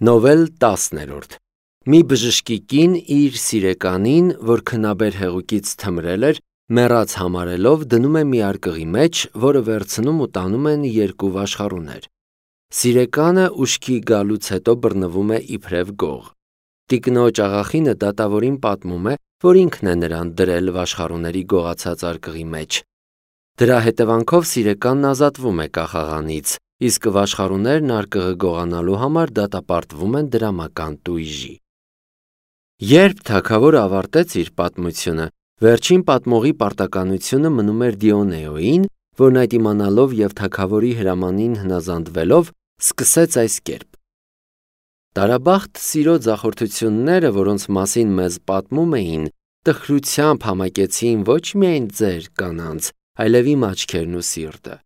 Նովել 10-րդ Մի բժշկի կին իր սիրեկանին, որ քնաբեր հեղուկից թմրել էր, մեռած համարելով դնում է մի արկղի մեջ, որը վերցնում ու տանում են երկու վաշխառուներ։ Սիրեկանը ուշքի գալուց հետո բռնվում է իբրև գող։ Տիկնոջ աղախինը դատավորին պատմում է, որ ինքն է նրան դրել վաշխառուների գողացած արկղի մեջ։ Դրա հետևանքով սիրեկանն ազատվում է կախաղանից, իսկ վաշխառուներն արկղը գողանալու համար դատապարտվում են դրամական տույժի։ Երբ թագավորը ավարտեց իր պատմությունը, վերջին պատմողի պարտականությունը մնում էր Դիոնեոյին, որն այդ իմանալով և թագավորի հրամանին հնազանդվելով, սկսեց այս կերպ. Տարաբախտ սիրո ձախորդությունները, որոնց մասին մեզ պատմում էին, տխրությամբ համակեցին ոչ միայն ձեր կանանց, այլև իմ աչքերն ու սիրտը։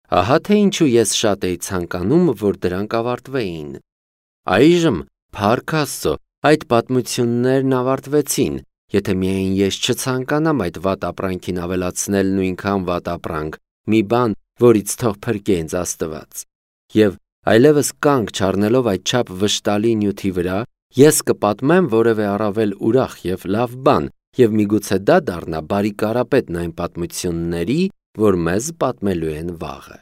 Ահա թե ինչու ես շատ էի ցանկանում, որ դրանք ավարտվեին։ Այժմ, փառք Աստծո, այդ պատմություններն ավարտվեցին, եթե միայն ես չցանկանամ այդ վատ ապրանքին ավելացնել նույնքան վատ ապրանք, մի բան, որից թող փրկի ինձ Աստված։ Եվ այլևս կանգ չառնելով այդչափ վշտալի նյութի վրա, ես կպատմեմ որևէ առավել ուրախ և լավ բան, և միգուցե դա դառնա բարի կարապետն այն պատմությունների, որ մեզ պատմելու են վաղը։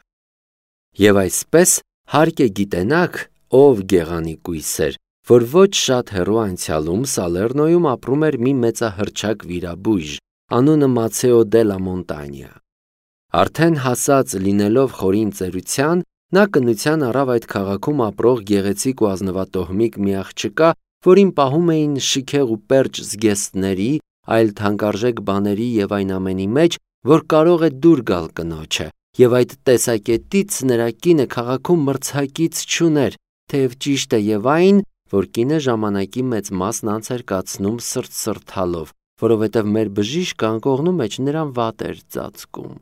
Եվ այսպես հարկ է գիտենաք, ով գեղանի կույսեր, որ ոչ շատ հեռու անցյալում Սալեռնոյում ապրում էր մի մեծահռչակ վիրաբույժ, անունը Մացեո դե լա Մոնտանյա։ Արդեն հասած լինելով խորին ծերության, նա կնության առավ այդ քաղաքում ապրող գեղեցիկ ու ազնվատոհմիկ մի աղջկա, որին պահում էին շքեղ ու պերճ զգեստների, այլ թանկարժեք բաների և այն ամենի մեջ, որ կարող է դուր գալ կնոջը, և այդ տեսակետից նրա կինը քաղաքում մրցակից չուներ, թեև ճիշտ է և այն, որ կինը ժամանակի մեծ մասն անց էր կացնում սրտալով, որովհետև մեր բժիշկը անկողնու մեջ նրան վատ էր ծածկում։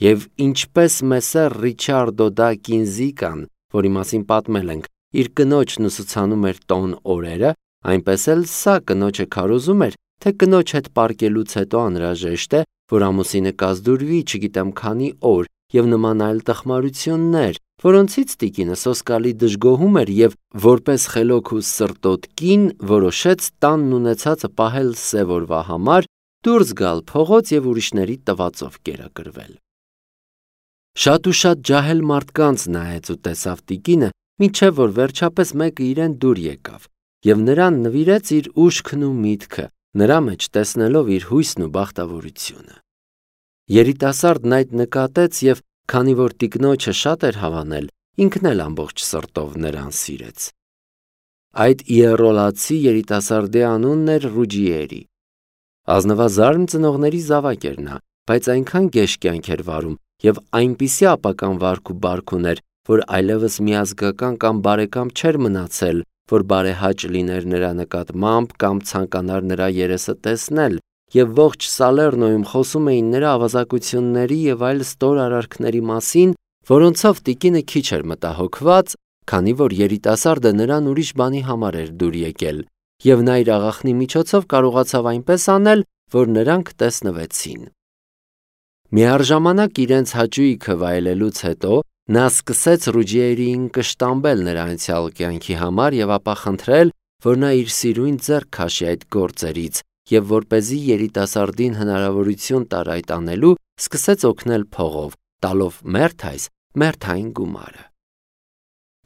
Եվ ինչպես Մեսսեր Ռիչարդո դա Կինզիկան, որի մասին պատմել ենք, իր կնոջն ուսուցանում էր տոն օրերը, այնպես էլ սա կնոջը քարոզում էր, թե կնոջ հետ պարկելուց հետո անհրաժեշտ է, որ ամուսինը կազդուրվի չգիտեմ քանի օր և նման այլ տխմարություններ, որոնցից տիկինը սոսկալի դժգոհում էր և որպես խելոք ու սրտոտ կին որոշեց տանն ունեցածը պահել սև օրվա համար, դուրս գալ փողոց և ուրիշների տվածով կերակրվել։ Շատ ու շատ ջահել մարդկանց նայեց ու տեսավ տիկինը, մինչև որ վերջապես մեկը իրեն դուր եկավ և նրան նվիրեց իր ուշքն ու միտքը, նրա մեջ տեսնելով իր հույսն ու բախտավորությունը։ Երիտասարդն այդ նկատեց և քանի որ տիկնոջը շատ էր հավանել, ինքն էլ ամբողջ սրտով նրան սիրեց։ Այդ իեռոլացի երիտասարդի անունն էր Ռուջիերի։ Ազնվազարմ ծնողների զավակ էր նա, բայց այնքան գեշ կյանք էր վարում և այնպիսի ապական վարք ու բարք ուներ, որ այլևս միազգական կամ բարեկամ չէր մնացել, որ բարեհաճ լիներ նրա նկատմամբ կամ ցանկանար նրա երեսը տեսնել, և ողջ Սալեռնոյում խոսում էին նրա ավազակությունների և այլ ստոր արարքների մասին, որոնցով տիկինը քիչ էր մտահոգված, քանի որ երիտասարդը նրան ուրիշ բանի համար էր դուր եկել, և նա իր աղախնի միջոցով կարողացավ այնպես անել, որ նրանք տեսնվեցին։ Միառժամանակ իրենց հաճույքը վայելելուց հետո նա սկսեց Ռուջիերիին կշտամբել նրա անցյալ կյանքի համար և ապա խնդրել, որ նա իր սիրուն ձեռք քաշի այդ գործերից և որպեսզի երիտասարդին հնարավորություն տար այդ անելու, սկսեց օգնել փողով, տալով մերթ այն գումարը։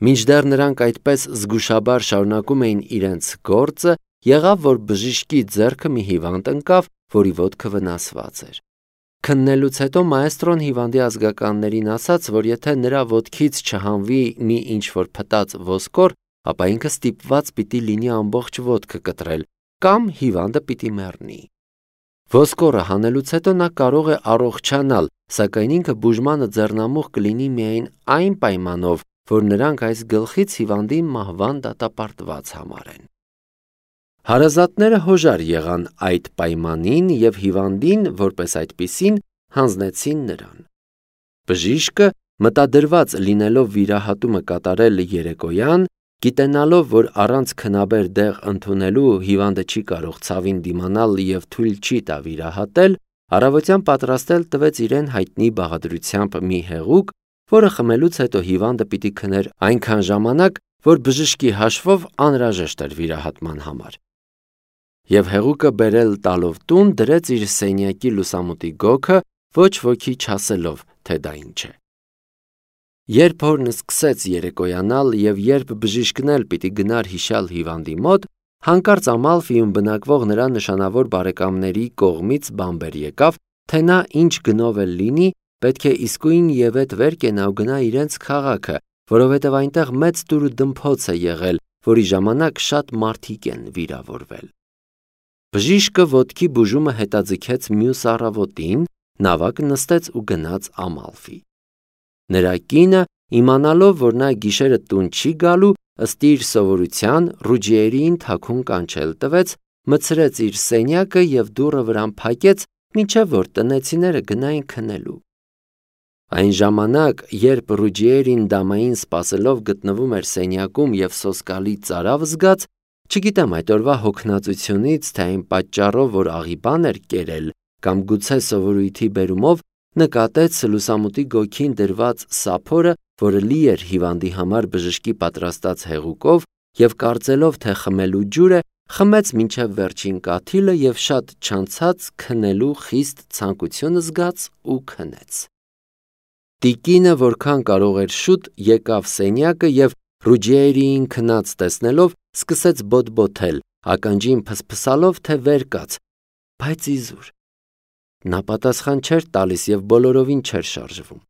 Մինչդեռ նրանք այդպես զգուշաբար շարունակում էին իրենց գործը, եղավ, որ բժշկի ձեռքը մի հիվանդ ընկավ, որի ոտքը վնասված էր։ Քննելուց հետո մաեստրոն հիվանդի ազգականներին ասաց, որ եթե նրա ոտքից չհանվի մի ինչ-որ փտած ոսկոր, ապա ինքը ստիպված պիտի լինի ամբողջ ոտքը կտրել, կամ հիվանդը պիտի մեռնի։ Ոսկորը հանելուց հետո նա կարող է առողջանալ, սակայն ինքը բուժմանը ձեռնամուխ կլինի միայն այն պայմանով, որ նրանք այս գլխից հիվանդին մահվան դատապարտված համարեն։ Հարազատները հոժար եղան այդ պայմանին և հիվանդին, որպես այդպիսին, հանձնեցին նրան։ Բժիշկը, մտադրված լինելով վիրահատումը կատարել երեկոյան, գիտենալով, որ առանց քնաբեր դեղ ընդունելու հիվանդը չի կարող ցավին դիմանալ և թույլ չի տա վիրահատել, առավոտյան պատրաստել տվեց իրեն հայտնի բաղադրությամբ մի հեղուկ, որը խմելուց հետո հիվանդը պիտի քներ այնքան ժամանակ, որ բժշկի հաշվով անհրաժեշտ էր վիրահատման համար։ Եվ հեղուկը բերել տալով տուն դրեց իր սենյակի լուսամուտի գոգը, ոչ ոքի չասելով, թե դա ինչ է։ Երբ հորն սկսեց երեկոյանալ եւ երբ բժիշկն էլ պիտի գնար հիշալ հիվանդի մոտ, հանկարծ Ամալֆիում բնակվող նրա նշանավոր բարեկամների կողմից բամբեր եկավ, թե նա ինչ գնով էլ լինի, պետք է իսկույն ևեթ վեր կենա ու գնա իրենց քաղաքը, որովհետև այնտեղ մեծ դուր ու դմփոց է եղել, որի ժամանակ շատ մարդիկ են վիրավորվել։ Բժիշկը ոտքի բուժումը հետաձգեց մյուս առավոտին, նավակ նստեց ու գնաց Ամալֆի։ Նրա կինը, իմանալով, որ նա գիշերը տուն չի գալու, ըստ իր սովորության Ռուջիերին թաքուն կանչել տվեց, մտցրեց իր սենյակը և դուռը վրան փակեց, մինչև որ տնեցիները գնային քնելու։ Այն ժամանակ, երբ Ռուջիերին դամային սպասելով գտնվում էր սենյակում և սոսկալի ծարավ զգաց, չգիտեմ այդ օրվա հոգնածությունից, թե այն պատճառով, որ աղի բան էր կերել, կամ գուցե սովորույթի բերումով, նկատեց լուսամուտի գոգին դրված սափորը, որը լի էր հիվանդի համար բժշկի պատրաստած հեղուկով, և կարծելով, թե խմելու ջուր է, խմեց մինչև վերջին կաթիլը և շատ չանցած քնելու խիստ ցանկություն զգաց ու քնեց։ Տիկինը, որքան կարող էր շուտ, եկավ սենյակը և Ռուջիերիին քնած տեսնելով, սկսեց բոտբոթել, ականջին փսփսալով, թե վեր կաց, բայց իզուր։ Նա պատասխան չէր տալիս և բոլորովին չէր շարժվում։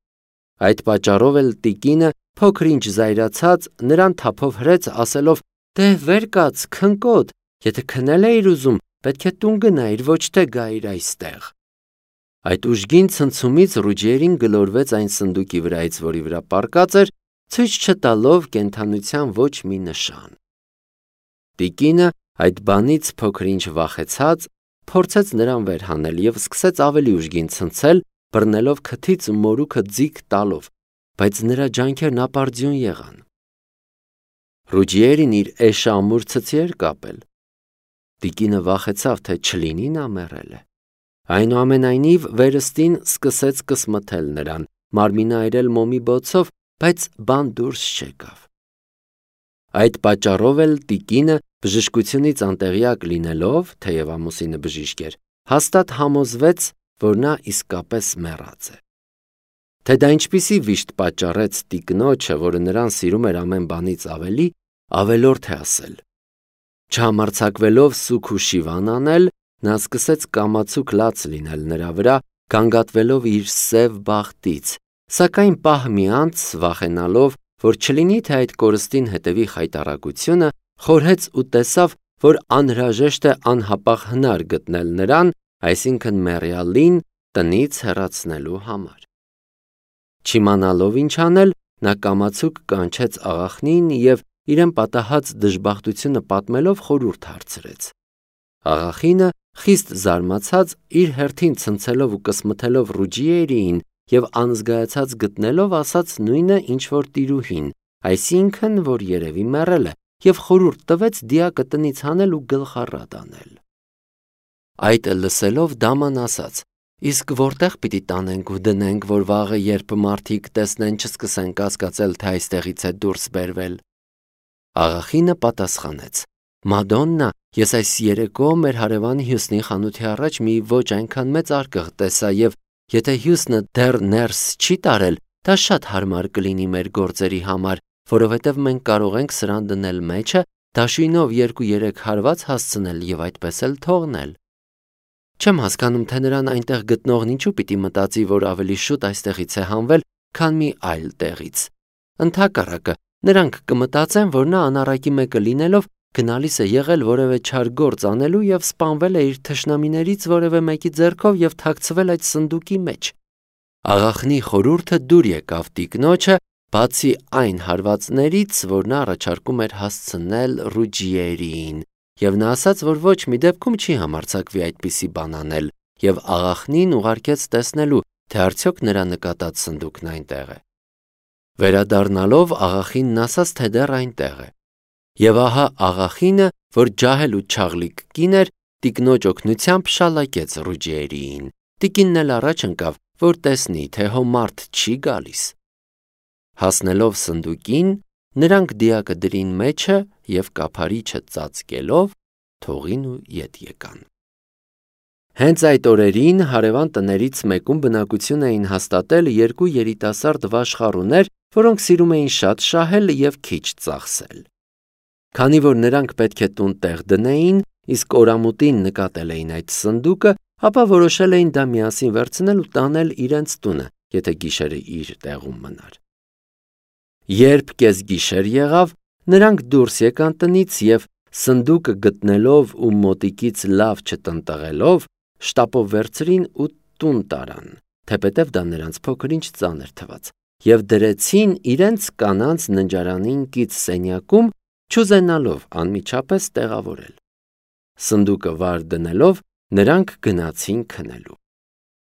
Այդ պատճառով էլ տիկինը, փոքր-ինչ զայրացած, նրան թափով հրեց, ասելով. «Դե վեր կաց, քնկոտ, եթե քնել էիր ուզում, պետք է տուն գնայիր, ոչ թե գայիր այստեղ»։ Այդ ուժգին ցնցումից Ռուջիերին գլորվեց այն սնդուկի վրայից, որի վրա պառկած էր, ցույց չտալով կենդանության ոչ մի նշան։ Տիկինը, այդ բանից փոքր-ինչ վախեցած, փորձեց նրան վեր հանել և սկսեց ավելի ուժգին ցնցել, բռնելով քթից ու մորուքը ձիգ տալով, բայց նրա ջանքերն ապարդյուն եղան։ Ռուջիերին իր էշը ամուր ցցի էր կապել։ Տիկինը վախեցավ, թե չլինի նա մեռել է։ Այնուամենայնիվ վերստին սկսեց կսմթել նրան, մարմինը այրել մոմի բոցով, բայց բան դուրս չեկավ։ Այդ պատճառով էլ տիկինը, բժշկությունից անտեղյակ լինելով, թեև ամուսինը բժիշկ էր, հաստատ համոզվեց, որ նա իսկապես մեռած է։ Թե դա ինչպիսի վիշտ պատճառեց տիկնոջը, որը նրան սիրում էր ամեն բանից ավելի, ավելորդ է ասել։ Չհամարձակվելով սուգ ու շիվան անել, նա սկսեց կամացուկ լաց լինել նրա վրա, գանգատվելով իր սև բախտից, սակայն պահ մի անց, վախենալով, որ չլինի, թե այդ կորստին հետևի խայտառակությունը, խորհեց ու տեսավ, որ անհրաժեշտ է անհապաղ հնար գտնել նրան, այսինքն մեռյալին, տնից հեռացնելու համար։ Չիմանալով ինչ անել, նա կամացուկ կանչեց աղախնին և իրեն պատահած դժբախտությունը պատմելով խորհուրդ հարցրեց։ Աղախինը, խիստ զարմացած, իր հերթին ցնցելով ու կսմթելով Ռուջիերիին և անզգայացած գտնելով, ասաց նույնը, ինչ որ տիրուհին, այսինքն, որ երևի մեռել է, և խորհուրդ տվեց դիակը տնից հանել ու գլխառատ անել։ Այդ լսելով դաման ասաց. «Իսկ որտեղ պիտի տանենք ու դնենք, որ վաղը, երբ մարդիկ տեսնեն, չսկսեն կասկածել, թե այստեղից է դուրս բերվել»։ Աղախինը պատասխանեց. «Մադոննա, ես այս երեկո մեր հարևան Հյուսնի խանութի առաջ մի ոչ այնքան մեծ արկղ տեսա և եթե Հյուսնը դեռ ներս չի տարել, դա շատ հարմար կլինի մեր գործերի համար, որովհետև մենք կարող ենք սրան դնել մեջը, դաշույնով 2-3 հարված հասցնել և այդպես էլ թողնել»։ Չեմ հասկանում, թե նրան այնտեղ գտնողն ինչու պիտի մտածի, որ ավելի շուտ այստեղից է հանվել, քան մի այլ տեղից։ Ընդհակառակը, նրանք կմտածեն, որ նա անառակի մեկը լինելով գնալիս է եղել որևէ չար գործ անելու և սպանվել է իր թշնամիներից որևէ մեկի ձեռքով և թաքցվել այդ սնդուկի մեջ։ Աղախնի խորհուրդը դուր եկավ տիկնոջը, բացի այն հարվածներից, որ նա առաջարկում էր հասցնել Ռուջիերիին, և նա ասաց, որ ոչ մի դեպքում չի համարձակվի այդպիսի բան անել, և աղախնին ուղարկեց տեսնելու, թե արդյոք նրա նկատած սնդուկն այնտեղ է։ Վերադառնալով աղախինն ասաց, թե դեռ այնտեղ է։ Եվ ահա աղախինը, որ ջահել ու չաղլիկ կին էր, տիկնոջ օգնությամբ շալակեց Ռուջիերիին։ Տիկինն էլ առաջ ընկավ, որ տեսնի, թե հո մարդ չի գալիս։ Հասնելով սնդուկին, Նրանք դիակը դրին մեջը և կափարիչը ծածկելով թողին ու ետ եկան։ Հենց այդ օրերին հարևան տներից մեկում բնակություն էին հաստատել երկու երիտասարդ վաշխառուներ, որոնք սիրում էին շատ շահել և քիչ ծախսել։ Քանի որ նրանք պետք է տուն տեղ դնեին, իսկ օրամուտին նկատել էին այդ սնդուկը, ապա որոշել էին դա միասին վերցնել ու տանել իրենց տունը, եթե գիշերը իր տեղում մնար։ Երբ կեսգիշեր եղավ, նրանք դուրս եկան տնից և սնդուկը գտնելով ու մոտիկից լավ չտնտղելով, շտապով վերցրին ու տուն տարան, թեպետև դա նրանց փոքր-ինչ ծանր թվաց, և դրեցին իրենց կանանց ննջարանին կից սենյակում, չուզենալով անմիջապես տեղավորել։ Սնդուկը վար դնելով, նրանք գնացին քնելու։